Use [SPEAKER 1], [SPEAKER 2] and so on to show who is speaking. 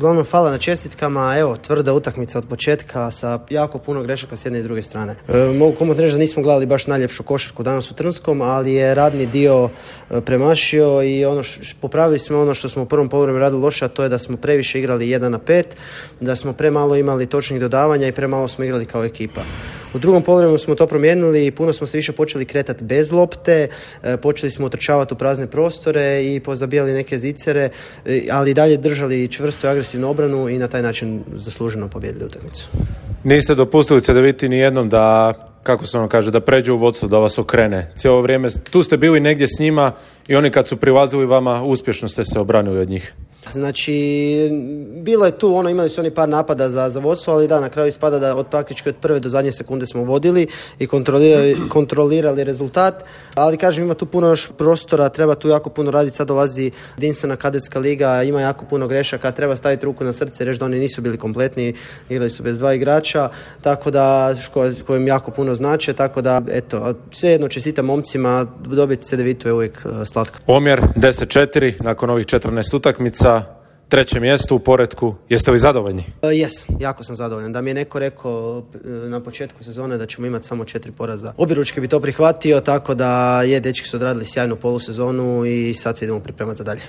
[SPEAKER 1] Uglavnom hvala na čestitkama, evo, tvrda utakmica od početka sa jako puno grešaka s jedne i druge strane. Mogu komotno reći da nismo gledali baš najljepšu košarku danas u Trnskom, ali je radni dio premašio i popravili smo ono što smo u prvom poluvremenu radili loše, a to je da smo previše igrali 1-5, da smo premalo imali točnih dodavanja i premalo smo igrali kao ekipa. U drugom poluvremenu smo to promijenili i puno smo se više počeli kretati bez lopte, počeli smo utrčavati u prazne prostore i pozabijali neke zicere, ali i dalje držali čvrstu i agresivnu obranu i na taj način zasluženo pobijedili utakmicu.
[SPEAKER 2] Niste dopustili Cedeviti ni jednom da, kako se ono kaže, da pređe u vodstvo, da vas okrene. Cijelo vrijeme tu ste bili negdje s njima i oni kad su prilazili vama, uspješno ste se obranili od njih.
[SPEAKER 1] Znači, bilo je tu, imali su oni par napada za vodstvo, ali da, na kraju ispada da praktički od prve do zadnje sekunde smo vodili i kontrolirali rezultat, ali kažem, ima tu puno još prostora, treba tu jako puno raditi, sad dolazi jedinstvena kadetska liga, ima jako puno grešaka, treba staviti ruku na srce i reći da oni nisu bili kompletni, igrali su bez 2 igrača, tako da, kojim jako puno znače, tako da, eto, svejedno čestitam momcima, dobiti Cedevitu je uvijek slatko.
[SPEAKER 2] Omjer 10-4 nakon ovih 14 utakmica. 3. mjesto u poretku. Jeste li zadovoljni?
[SPEAKER 1] Jesam, jako sam zadovoljan. Da mi je neko rekao na početku sezone da ćemo imati samo 4 poraza, objeručke bi to prihvatio, tako da dečki su odradili sjajnu polusezonu i sad se idemo pripremati za dalje.